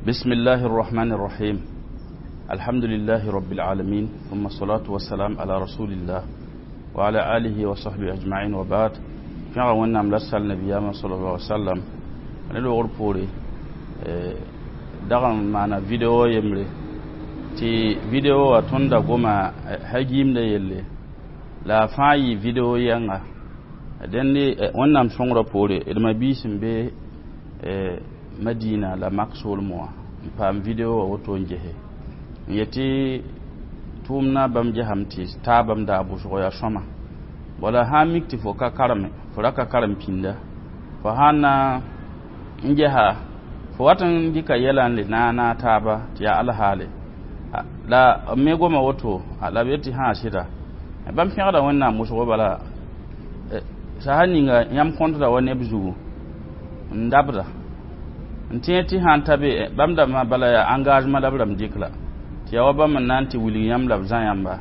بسم الله الرحمن الرحيم الحمد لله رب العالمين ثم الصلاة والسلام على رسول الله وعلى آله وصحبه أجمعين وبعد فيغا ونام لسال نبينا صلى الله عليه وسلم ne logr poore dag n maana video yembre tɩ video wã tõnd da goma hagiimda yelle la a fãa yɩ video yɛnga dẽnd wẽnnaam sõngrã poore d ma-biis n be Madina la mak soolmẽ wã n paam video wã woto n gese n yetɩ tʋʋmdã bãmb gesame tɩ taabame daa bʋsgo yaa sõma wala sã n mik tɩ fo ka kareme fo ra ka karem pĩnda fo sã n na n gesa fo wat n dɩka yɛla n le naana taaba tɩ yaa alhaale la b me goma woto la b yet tɩ sã sɩda bãmb pẽgda wẽnnaam wʋsgo bala sasa ninga yãmb kõtda wa neb zugu n dabda n tẽ tɩ sã n ta be bãmb dãmbã bala yaa engagement la b rãmb dɩk la tɩ yaa wa bãmb n na n tɩ wilg yãmb la b zã yãmba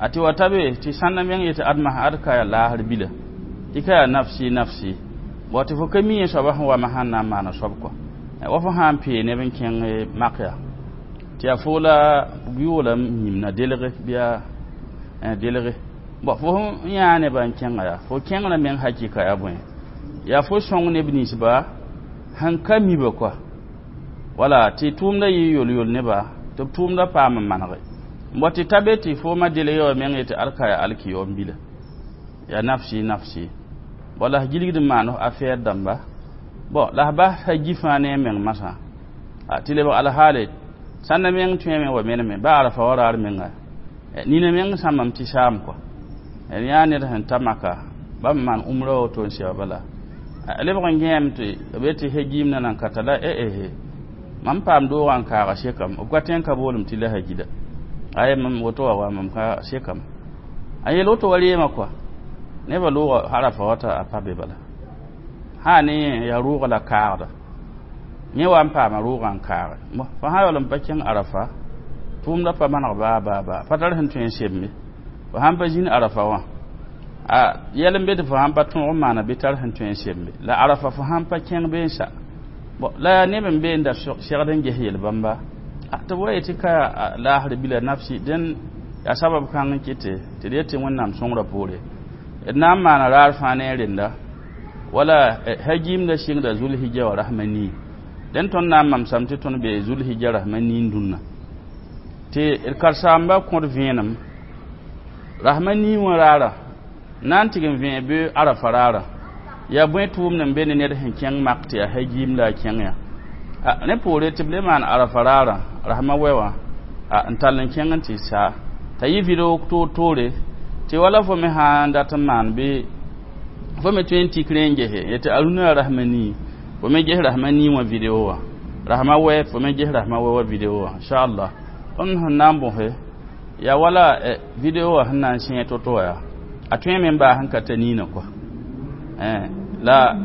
a tɩ wa ta be tɩ sãnda meng yetɩ adma ad ka yaa laasr bila tɩ ka yaa nafsi nafsi bõ tɩ fo ka mi yẽ soaba sẽn wama sãn na n maana soab kɔ wa fo sã n pee neb n kẽng mak yaa tɩ yaa fo la yʋʋla yĩmna delge bɩa delge bõ fo sẽn yãa nebã n kẽnga yaa fo kẽngrã meng hakɩka yaa bõe yaa fo sõng neb ninsba sẽn ka miba kɔa wala tɩ tʋʋmda yɩ yol-yol neba tɩ b tʋʋmda paam n manege n tɩ ta be tɩ fo ma delg wa meng yetɩ ad ka yaa alkiyoom bila yaa nafsi nafsi bõ la s gilgd n maan affaire dãmba bõ la s bas ha gi fãa ne a meng masã tɩ lebg alhaale sãnda meng tõeme wa meneme ba arafa wa raar menga nina meng sãmbame tɩ saam kɔ yaa ned sẽn ta maka bãmb maan umra woto n sɛba bala lebg n gẽem tɩ b yetɩ hagiim na nan ka ta la eehe mam paam doogã n kaaga sekame b ka tõe n ka boolem tɩ la hagida ay mam woto wa mam ka sekame a yel woto wa reema kɔa nebã loogã arafa wata a pa be bala sã ne yaa rʋʋga la kaagda yẽ wa n paama rʋʋgã n kaage fo sã yaool n pa kẽng arafa tʋʋmda pa maneg baa baa baa pa tar sẽn tõe n sembe fo sãn pa zĩnd arafa wã a yɛl n be tɩ fo sãn pa tõog n maana bɩ tar sẽn tõe n sembe la arafa fo sãn pa kẽng bee n sa bon la yaa neb n be n da segd n ges yel-bãmba tɩ b wa yetɩ ka laasr bila nafsi dẽn yaa sabab kãng n kɩte tɩ d yetɩ wẽnnaam sõngrã poore d na n maana raar fãa ne a renda wala hagiimda sɩngda zulhija wa rasma nii dẽn tõnd na n mamsame tɩ tõnd be zulhija rasma niin dũnna tɩ d karen-saamba kõd vẽenem rasma nii wã raara na n tɩg n vẽeg bɩ arafa raara yaa bõe tʋʋmd n be ne ned sẽn kẽng mak tɩ yaa hagiim la a kẽng ya ne poore tɩ b le maan arafa raara rasma wɛ wã n tall n kẽng n tɩ saa t'a yɩ video toor-toore tɩ wala fo me sã n dat n maan bɩ fo me tõe n tik rẽ n gese yetɩ arũna rasma nii fo me ges rasma nii wã video wã rasma wɛ fo me ges rasma wɛ wã video wã inchallah tõnd sẽn na n bõse yaa wala video wã sẽn na n sẽe to-to wã yaa a tõe me n baas n ka ta niinã kɔa la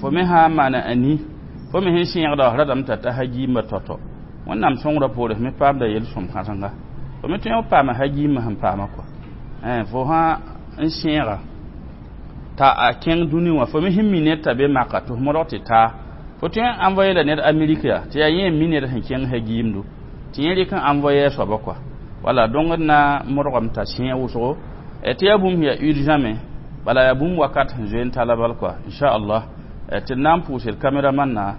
fo me sã n maana a ni fo me sẽn sẽegda f radame t'a ta hagiimã tao-tao wẽnnaam sõngrã poore f me paamda yel-sõm kãsenga fo me tõe n paama hagiimã sẽn paama kɔa fo sã n sẽega t'a a kẽng dũni wã fo me sẽn mi ned t'a be maka tɩ f modg tɩ taa fo tõe n envoye la ned amerik yaa tɩ yaa yẽ n mi ned sẽn kẽng hagiimdu tɩ yẽ rɩk n envoye a soaba kɔa wala dõngd na modgame t'a sẽeg wʋsgo tɩ yaa bũmb sẽn yaa urgent me bala yaa bũmb wakat sẽn zoe n tala bal kɔa inchallah tɩ d na n pʋʋsd caméraman na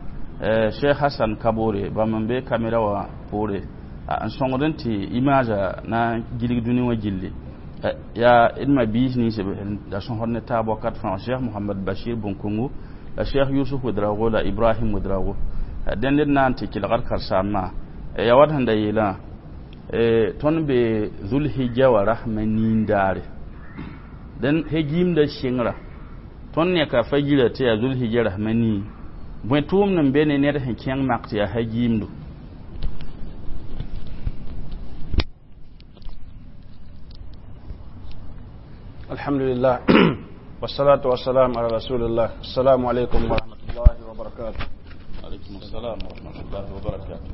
cheikh hassan kabore bãmb n be caméra wã poore n sõngd n tɩ image na n gilg dũni wã gilli yaa d ma-biis nins da sõsd ne taab wakat fãa cheikh mohamad bashir bõn-kongo la cheikh yusuf wedrago la ibrahim wedrago dẽnd d na n tɩ kelgd karen-saambã yaa wat sẽn da yeelã tõnd be zulhija wa rasma niin daare dẽn hegiimda sɩngra tõnd neka fa gira tɩ yaa zulhija rasma nii bõe tʋʋmd n be ne ned sẽn kẽng mak tɩ yaa hagiimdo الحمد لله والصلاة والسلام على رسول الله السلام عليكم ورحمة الله وبركاته عليكم السلام ورحمة الله وبركاته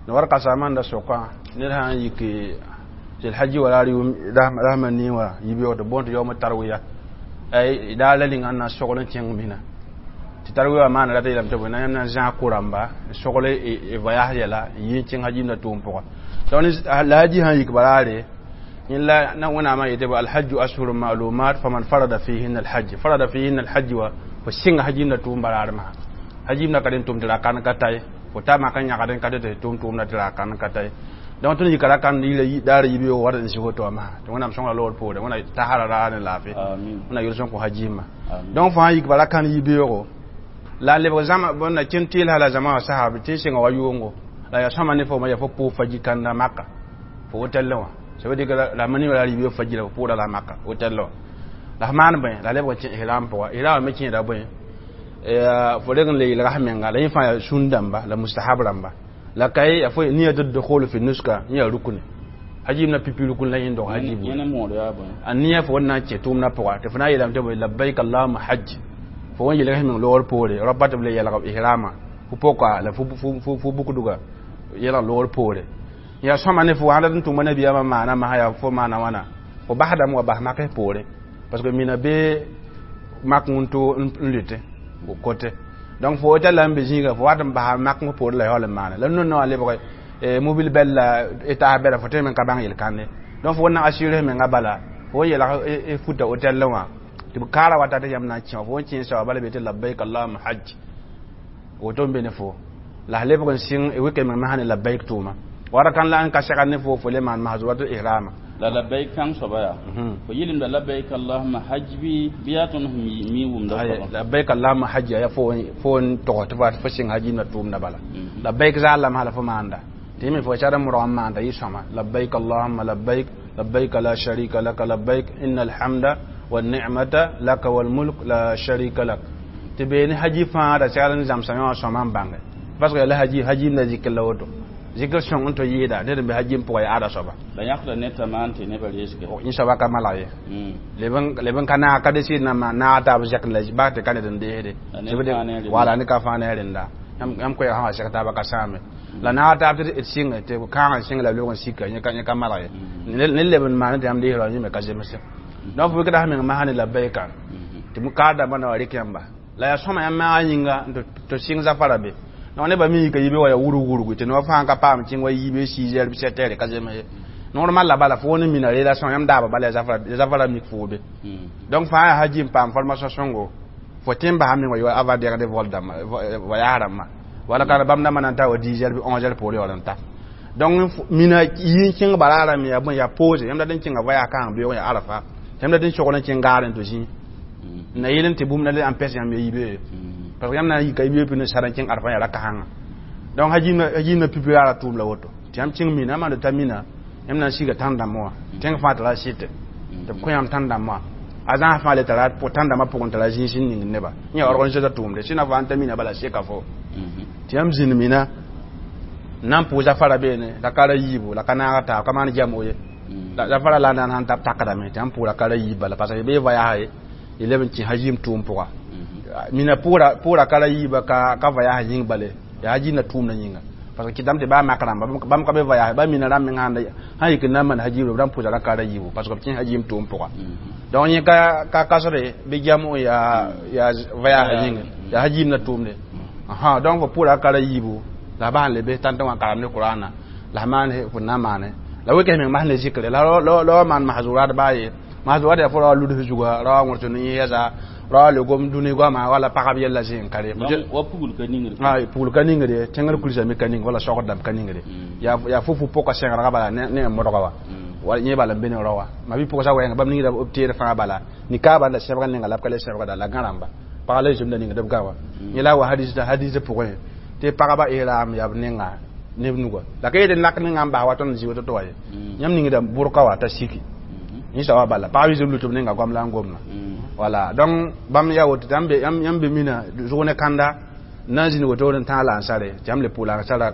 نورقة سامان دا سوقا نرها يكي الحج ولا رحمة نيوا يبيو دبونت يوم التروية أي دا لين أن شغل تيان منا Tɩ tarwiya maana la tɩ yeelame tɩ bõe na yãmb na n zãag ko-rãmba n sogl voyage yɛla n yɩ n kẽng hajim na tʋʋm pʋga. Donc la haji sãn yik baraare yẽla na wẽnnaamã yetɩ alhajju ashhuru ma'lumat faman farada fihinna alhajj farada fihinna alhajj wa fo sɩnga hajim na tʋʋm baraar masã hajim na ka rẽn tʋm tɩ ra kan ka ta ye fo ta mak n yãgd n ka tɩ tʋʋm tʋʋmda tɩ ra kan ka ta ye. Donc tõnd yika ra kãnd yila daara yibeoogo wat n sɩ woto wã masã tɩ wẽnnaam sõngra loogr poore wẽna tasara raar ne laafɩ wẽna yel-sõng kõ hajimã. Donc fo sã n yik bara kãnd yibeoogo la lebg zãma bõnda kẽn tɩɩlsa la zãma wã sasa b tɩ n sɩnga wa yʋʋngo la yaa sõma ne fo yaa fo pʋʋg faji kãnda maka fo hôtel wã. Ça veut dire que la mani la ribe faji la pʋʋda la maka hôtel wã la f maan bõe la lebg n kẽ ihram pʋga ihram me kẽeda bõe fo reg n le yelga menga la yẽ fãa yaa sũn dãmba la mustahab rãmba la ka ye fo niyat dukhul fi nuska yẽ rukuni hajim na pipi rukun la yẽ dog hajib a niya fo na kẽ tʋʋmdã pʋga tɩ fo na n yeelame tɩ bõe labbaik allahuma hajj fo wẽn yelg meng loogr poore rapa tɩ b le yɛlg ihrama fo poka la fo bukduga yɛlg loogr poore yaa sõma ne fo sãn dat n tʋma nabiyaamã maana masã yaa fo maana wãna fo basdame wa bas maks poore parce que mina bee mak n to n lʋte kote. Donc fo hôtel la n be zĩiga fo wat n basa mak poore la yaool n maane la nonã wã lebg mobile bɛl la taas bɛla fo tõe me n ka bãng yel-kãnde. Donc fo na assurer menga bala fo yɛlg futa hôtel wã tɩ b kaara wata tɩ yãmb na n kẽ fo n kẽ soaba bala be tɩ labbaik allahuma hajj woto n be ne fo la f lebg n sɩng wɩka meng masã ne labbaik tʋʋma wara kan la n ka segd ne fo fo le maan mahzurat ihrama la labbaik kãng soaba yaa fo yɩlemda labbaik allahuma hajj bɩ yaa tõnd sẽn mi wʋmda soaba labbaik allahuma hajj yaa fo n tog tɩ fo sɩng hajim na tʋʋmda bala labbaik zaal la masã la fo maanda tɩ yẽ me fo shar n modg n maanda yɩ sõma labbaik allahuma labbaik labbaik la sharika laka labbaik inna alhamda والنعمة لك والملك لا شريك لك تبين حجي فان دا سيالن زام سان سومان بانغ parce que la haji haji na zikr la woto zikr sõng n tɩ yɩɩda ned n be hajim pʋga yaa ada soaba la yãkda ne t'a maan tɩ nebã reesge yẽ soaba ka malg ye leb n ka naag ka desɩd na naag taab zɛk la bas tɩ ka ned n deesde wala ne ka fãa ne rẽnda yãmb koɛɛg sã wa sɛg taaba ka sãame la naag taab tɩ d sɩnge tɩ kãag n sɩng la log n sika yẽ ka malg ye ne leb n maan tɩ yãmb deesra yẽ me ka zemse. Donc fo wɩkda meng masã ne labbaika tɩ kaar dãmbã na wa rɩk yãmba la yaa sõma yãmb maagã yĩnga tɩ sɩng zafara be. Donc nebã me yika yibe wa yaa wurug wurgu tɩ noor fãa ka paam kẽng wa yibe 6 heures 7 heures ka zems ye. Normal la bala fo ne mina relation yãmb daaba bala yaa zafara mik fo be. Donc fãa yaa haji n paam formation sõngo fo tẽ n basa meng wa avant dẽgd vol dãmba voyage rãmbã wala ka bãmb dãmbã na n ta wa 10 heures bɩ 11 heures poore yaool n ta. Donc mina yɩ n kẽng baraarã me yaa bõe yaa pause yãmb dat n kẽnga voyage kãng beoog yaa arafa yãmb dat n sogl n kẽng gaar n tɩ zĩ na yel n tɩ bũmb na le n pɛs yãmb ya yibe parce que yãmb na n yika yibe pĩ ne sar n kẽng arafa yaa ra-kãsengã. Donc hajim na pipi ra tʋʋm la woto tɩ yãmb kẽng mina yãmb ta mina yãmb na n siga tãn-dãmbã wã tẽng fãa tara sɩte tɩ b kõ yãmb tãn-dãmbã wã a zãas fãa le tara tãn-dãmbã pʋgẽ tara zĩis n ning neba yẽ yaa organisation tʋʋmde sẽna fãa n ta mina bala seka fo tɩ yãmb zĩnd mina n na n pʋʋs zafara beene la ka ra yiibu la ka naaga taab ka maan jamo ye zafara la n na n tab takdame tɩ yãmb pʋʋra ka ra yiib bala parce que bee voyage y leb n kẽ hajim tʋʋm pʋga mina pʋʋra ka ra yiiba ka voyage yĩng bale yaa hajim na tʋʋmda yĩnga parce que kɩtame tɩ baa mak rãmba bãmb ka be voyage ba mina rãmb meng sãn yik n na n maan hajim b rãmb pʋʋsa ra ka ra yiibu parce que b kẽ hajim tʋʋm pʋga. Donc yẽ ka kasre bɩ jamo yaa voyage yĩnga yaa hajim na tʋʋmde. Donc fo pʋʋra ka ra yiibu la bas n lebe tãntã wã karem ne Qur'ana la maan fo na maane la wɩk meng mas ne zikre la la maan mahzurat baa ye mahzurat yaa fo ra wa luds zuga ra wa wõrs ne yɛsa ra wa le gom dũni goama wala pagb yella zĩ n ka re wa pugl ka ningre pugl ka ningre tẽngr kulsame ka ning wala sogd dãmb ka ningre yaa fo fu pʋka sẽgrga bala ne modga wa wala yẽ bala n be ne rao wã ma bɩ pʋgsa wɛɛnga bãmb ningda b teer fãa bala nikaaba la sẽbg ninga la b ka le sẽbgda la gã rãmba pagã la zũmda ningd b gã wã yẽ la wa hadis pʋgẽ tɩ pagba ihram yaa b ninga neb nuga la ka yetɩ nak ninga n bas wa tõnd zĩ woto tɩ wa ye yãmb ningda bʋrka wa t'a siki yẽ soaba bala pagb yɩ lut b ninga goam la n gomna wala. Donc bãmb yaa woto tɩ yãmb be mina zʋg ne kãnda na n zĩnd wotore n tãag la ansare tɩ yãmb le pʋʋ la ansara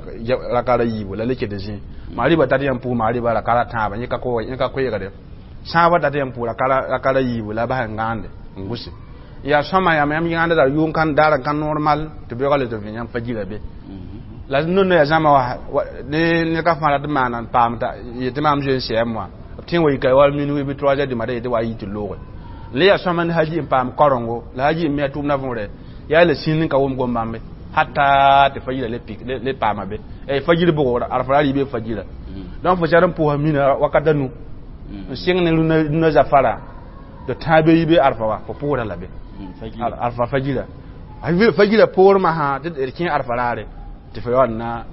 raka ra yiibu la le ket zĩ maariba tat yãmb pʋʋs maariba raka ra tãabã yẽ ka koeegde sãabã tat yãmb pʋʋs raka ra yiibu la bas n gãande n gʋse yaa sõma yãmb yãmb yãanda la yʋʋn kan daar n ka normal tɩ beoogã le tɩ vẽ yãmb fajira be la nono yaa zãma wa ne ka fãa rat maana n paam yetɩ maam zoe n sɛɛm wã b tẽ wa yika wal minuit bɩ 3 heures du matin yetɩ wa yɩ tɩ looge le yaa sõma ne haji n paam karengo la haji n me a tʋʋmdã võore Ya le sĩnd n ka wʋm gom-bãmbe hatta tɩ fajira le pik le paama be fajir bʋgr arfa ra rɩɩbe fajira. Donc fo sar n pʋʋsa mina wakat a nu n sɩng ne rũnã zafara tɩ tãa be yibe arfa wa fo pʋʋsda la be arfa fajira fajira poor masã tɩ d kẽ arfa raare tɩ fo yaool na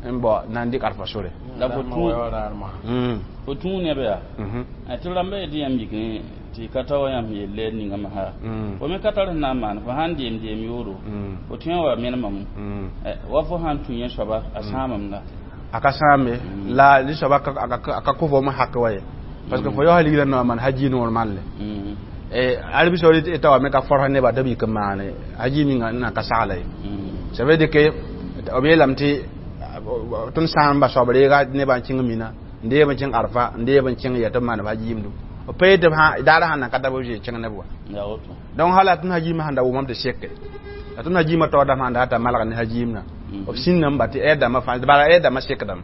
n bao na n dɩk arfa sore. La fo tũu neb yaa tɩ rãmba yetɩ yãmb yik tɩ ka ta wa yãmb yelle ninga masã fo me ka tar sẽn na n maan fo sãn deem deem yoodo fo tõe n wa menemame wa fo sãn tũ yẽ soaba a sãamame la a ka sãambe la li soaba a ka kõ fo hak wa ye parce que fo yaoosã ligrã noa maan haji normal le Arabie Saoudite eta wa me ka forsa neba tɩ b yik n maane haji minga n na ka sagla ye. Ça veut dire que b yeelame tɩ tõnd sã n ba soab reega nebã n kẽng mina n deeb n kẽng arfa n deeb n kẽng ya tɩ b maan b hajiimdu b pa yetɩ daara sãn na ka ta b zoe kẽng neb wa. Donc hala tõnd hajiimã sãn da wʋmame tɩ seke la tõnd hajiimã taoor dãmb sãn da t'a malg ne hajiimna b sĩndame ba tɩ ɛɛd dãmbã fãa bala ɛɛd dãmbã sekdame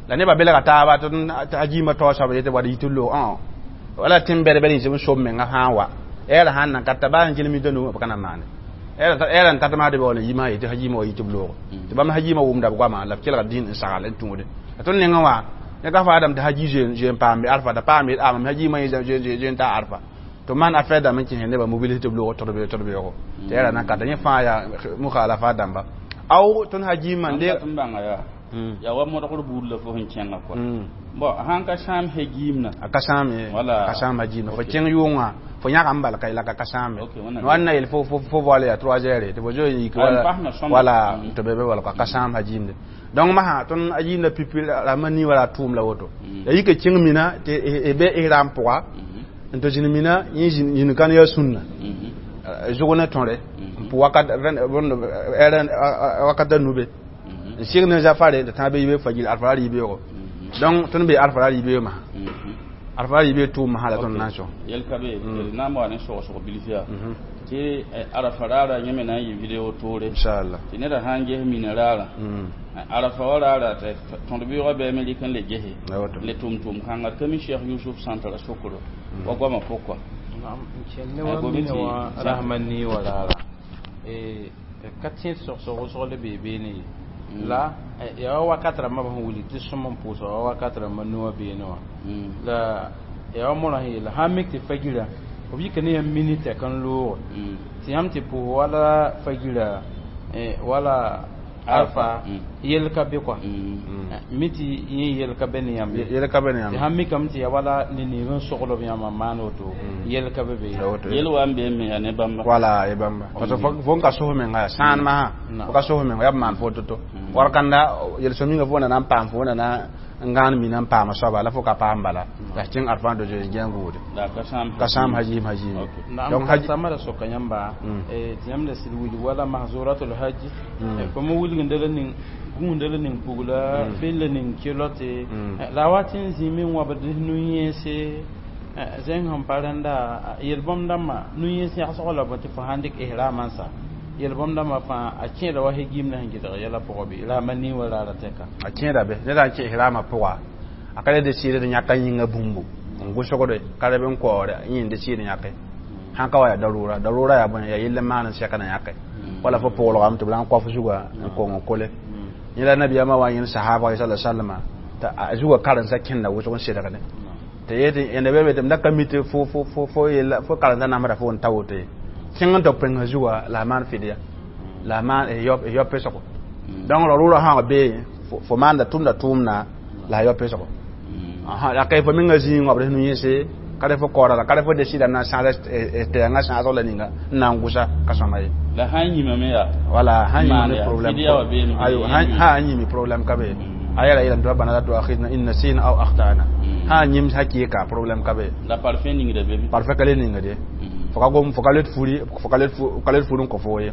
la nebã belga taaba tɩ hajiimã taoor soab yetɩ wa d yit loog wala tẽn bɛd-bɛd yĩns b sob menga sã n wa ɛɛra sãn na ka ta baa n kelem yita nu b ka na maane ɛɛra n tat maa tɩ baool n yimã yetɩ hajiimã wa yit b loogo tɩ bãmb hajiimã wʋmda b goama la b kelga dĩn n sagl n tũude la tõnd nengã wã ne ka faadame tɩ haji zoe n paam be arfa t'a paam yet mam hajiimã yẽ zoe n ta arfa tɩ maan affaire dãmb n kẽsẽ nebã mobilise tɩ b loog tʋd beoogo tɩ ɛɛra na n kata yẽ fãa yaa mukhalafa dãmba aw tõnd hajiimã n deeg yaa wa modgr buud la fo sẽn kẽnga kɔa bon sãn ka sãam hajiimna a ka sãam ye ka sãam hajiimna fo kẽng yʋʋngã fo yãga n bal ka la ka sãame wãn na yel fo voile yaa 3 heures tɩ fo zoe n yik wala tɩ be be wala ka sãam hajiimde. Donc masã tõnd hajiimda pipi rãmbã nii wala a tʋʋm la woto la yika kẽng mina tɩ be ihram pʋga n tɩ zĩnd mina yẽ zĩnd kan yaa sũnna zʋg ne tõre n pʋ wakat a nube n sɩg ne zafare tɩ tãag be yibe fajir arfa ra rɩ-beoogo. Donc tõnd be arfa ra rɩ-beoog masã arfa ra rɩ-beoog tʋʋm masã la tõnd na n sõs yel ka be d na n wa ne sogsg bilf yaa tɩ arafa raara yẽ me na n yɩ video toore inchallah tɩ neda sã n ges mina raara arafa wa raara tɩ tõd beoogã bɩame rɩk n le gese le tʋm-tʋm kãnga ka mi Cheikh Yusuf sã n tara sokro wa goamã pʋka. Ne wa mina wã rasmã nii wa raara ka tẽed sogsg wʋsg le bee beene ye la yaa wa wakat rãmbã sẽn wilg tɩ sõm n pʋʋsa wa wakat rãmbã noa beene wã la yaa wa morã sẽn yeela sãn mik tɩ fagira b yika ne yãmb minit n looge tɩ yãmb tɩ pʋʋs wala fagira wala arfa yel ka be kɔa mi tɩ yẽ yel ka be ne yãmb yel ka be ne yãmb tɩ sãn mikame tɩ yaa wala ne neeb n sogl b yãmba n maan woto yel ka be be yel wa n beeme yaa ne bãmba wala ye bãmba parce que fo n ka sos menga yaa sãan masã fo ka sos menga yaa b maan fo to-to war kanda yel-sõm yĩnga fo na n paam fo na n gãan mina n paama soaba la fo ka paam bala la kẽng arfã do zoe gẽng gʋʋde ka sãam hajiim hajiim. Donc haji da soka yãmba tɩ yãmb da sɩd wilg wala mahzuratul hajj fo me wilgenda la ning gũunda la ning pugla fell la ning kelote la wa tɩ n zĩime n wabd nu-yẽese zẽng sẽn pa rẽnda yel-bõmb dãmbã nu-yẽes yãgsgo la bõ tɩ fo sãn dɩk ihramã n sa yel-bõmb dãmbã fãa a kẽeda wa hegimna sẽn gɩdg yɛla pʋgã bɩ rama nii wa raara tɛka a kẽeda be ned n kẽ ihrama pʋga a ka le desɩɩd yãka yĩnga bũmbu n gʋsgde ka reb n kaoore yẽ desɩɩd yãke sãn ka wa yaa darura darura yaa bõe yaa yell n maan n sɛk na yãke wala fo pʋglgame tɩ b la n koaf zuga n kong n kole yẽ la nabiyaamã wa yẽnd sahaba sala sallama tɩ a zugã karen-sa kẽnda wʋsg n sedgde tɩ yetɩ yẽnda be be tɩ m da ka mi tɩ fo fo fo fo yella fo karen-sa namsda fo n ta woto ye kẽng n tɩ pẽnga zuga la a maan fɩdya la a maan yao pesgo. Donc rarura sã bee fo maanda tʋmda tʋʋmna la a yao pesgo la ka fo menga zĩig wabd nu-yẽse ka re fo kaoora la ka re fo desida na n sãas tɛɛngã sãasg la ninga n na n gʋsa ka sõma ye. La sãn yĩmame yaa wala sãn yĩmame problème ayo sã n yĩmi problème ka be a yɛla yeelame tɩ rabbana la tuakhidna in nasina aw akhtana sã n yĩm sã kɩɩka problème ka be la parfum ningda be parfum ka le ningde fo ka gom fo ka let furi fo ka let furi n kõ fo ye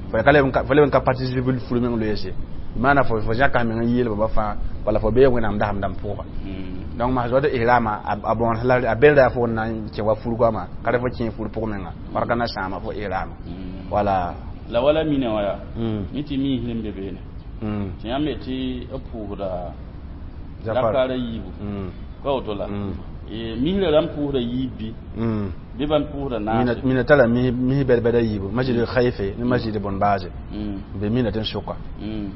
fo ka leb n ka participe furi meng loeese maana fo fo zãka meng n yeel baba fãa wala fo bee wẽnnaam dasam dãmb pʋga. Donc mas wata ihrama a bon la a belda fo na kẽ wa fur goama ka re fo kẽ fur pʋg menga warka na sãama fo ihrama wala la wala mina wa ya mi tɩ miisd n be beene tɩ yãmb ye tɩ b pʋʋsda zakara yiibu ka woto la Misra rãmb pʋʋsda yiib bɩ bɩ bãmb pʋʋsda naase? Mina tara mis bɛd-bɛda yiibu, masjid khayfe ne masjid bõn baase n be mina tẽn-sʋka.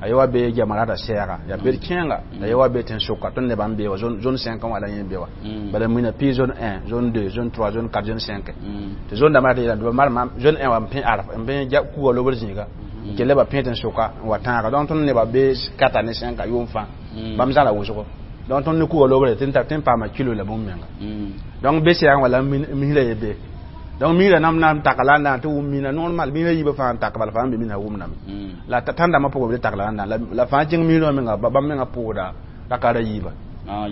A ye wa be jamarata sɛɛga yaa bed kẽenga, la ye wa be tẽn-sʋka tõnd nebã n be wa zone 5 wã la yẽ be wa. Bala mina pɩ zone 1, zone 2, zone 3, zone 4, zone 5, tɩ zone dãmbã tɩ yeelame tɩ ba marma zone 1 wa n pẽ arf n pẽ kuga lobr zĩiga n kell ba pẽ tẽn-sʋka n wa tãaga. Donc tõnd nebã be 4 ne 5 yʋʋm fãa bãmb zãla wʋsgo. Donc tõnd ne kuga lobre tɩ n paama kilo la bũmb menga. Donc be sɛɛgã wala misra ye be. Donc misra nam na n taka la n na tɩ wʋm mina normal misra yiibã fãa n tak bala fãa n be mina wʋmdame la tãn-dãmbã pʋgã b le tak la n na la fãa kẽng misrã menga bãmb menga pʋʋda rakara yiibã,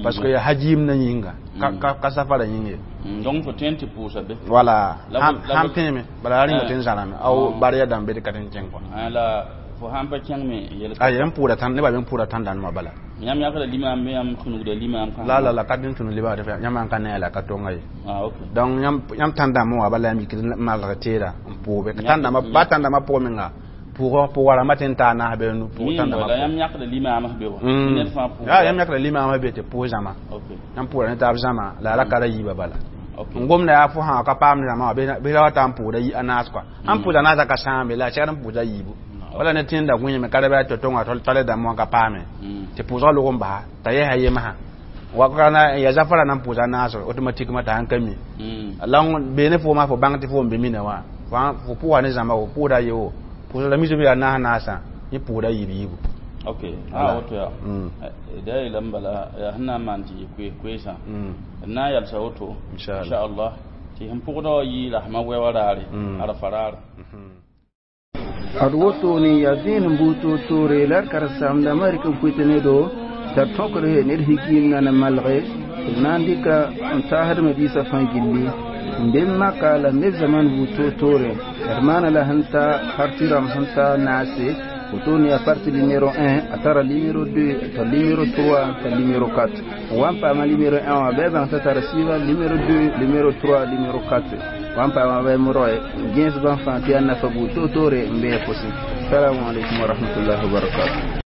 parce que yaa hajim na yĩnga ka safara yĩng ye. Donc fo tõe n tɩ pʋʋsa be? Wala sãn pẽeme bala la rĩnga tɩ n zãrame ao barya dãmb be tɩ ka tɩ n kẽng kɔa. La fo sãn pa kẽng me yel? A yãmb pʋʋda tãn nebã me pʋʋda tãn-dãndmã bala. Yãmb yãkda limaam bɩ yãmb sũnugda limaam? La la la ka tɩ n tũnu limaam tɩ yãmb n ka ne la ka tonga ye. Donc yãmb tãn-dãmbã wã bala yãmb yikd n malg teeda n pʋʋbe tãn-dãmbã ba tãn-dãmbã pʋgẽ menga pʋgã rãmbã tɩ n taa naas be nu pʋʋg tãn-dãmbã. Yãmb yãkda limaamã be wa? Ya yãmb yãkda limaamã be tɩ pʋʋs zãma, yãmb pʋʋda ne taab zãma la ra ka ra yiibã bala. N gomda yaa fo sã ka paam zãma wã bɩ ra wa ta n pʋʋda a naas kɔa sãn pʋʋda naasã ka sãambe la a segd n pʋʋsa yiibu wala ne tẽnda gũime ka ra bɩ a tɩ tõnga tale dãmb wã ka paame tɩ pʋʋsgã log n basa t'a yɛsa yemsã wakana ya zafara nan pʋʋsa naas automatiquement t'a sãn ka mi la bee ne foomã fo bãng tɩ fo n be mina wã fo pʋʋsa ne zãmba fo pʋʋda ye wo pʋʋsg la misb yaa naas naasã yẽ pʋʋda yiib yiibu. Ok, a woto yaa da yeelame bala yaa sẽn na n maan tɩ yɩ koeesã d na n yalsa woto inchallah tɩ sẽn pʋgdã wã yɩ rasmã wɛwã raare arafa raare. Ad woto ne yaa zẽenem buud toor-toore la d karen-saamdãmbã rɩk n pʋɩt ne do t'a tõkd ned hikiim na na malge d na n dɩka n taasdmã biisã fãa gilli n be maka la n be zaman buud toor-toore d maana la sẽn ta parti rãmb sẽn ta naase woto ne yaa parti numéro 1 a tara numéro 2 t'a numéro 3 t'a numéro 4 wa n paama numéro 1 wã bɩ bãng t'a tara sɩɩga numéro 2, numéro 3, numéro 4 wa n paama bɩ roe gẽes bãmb fãa tɩ yaa nafa buud toor-toore n bee pʋsẽ. Salamu alaikum wa rahmatullahi wa barakatuh.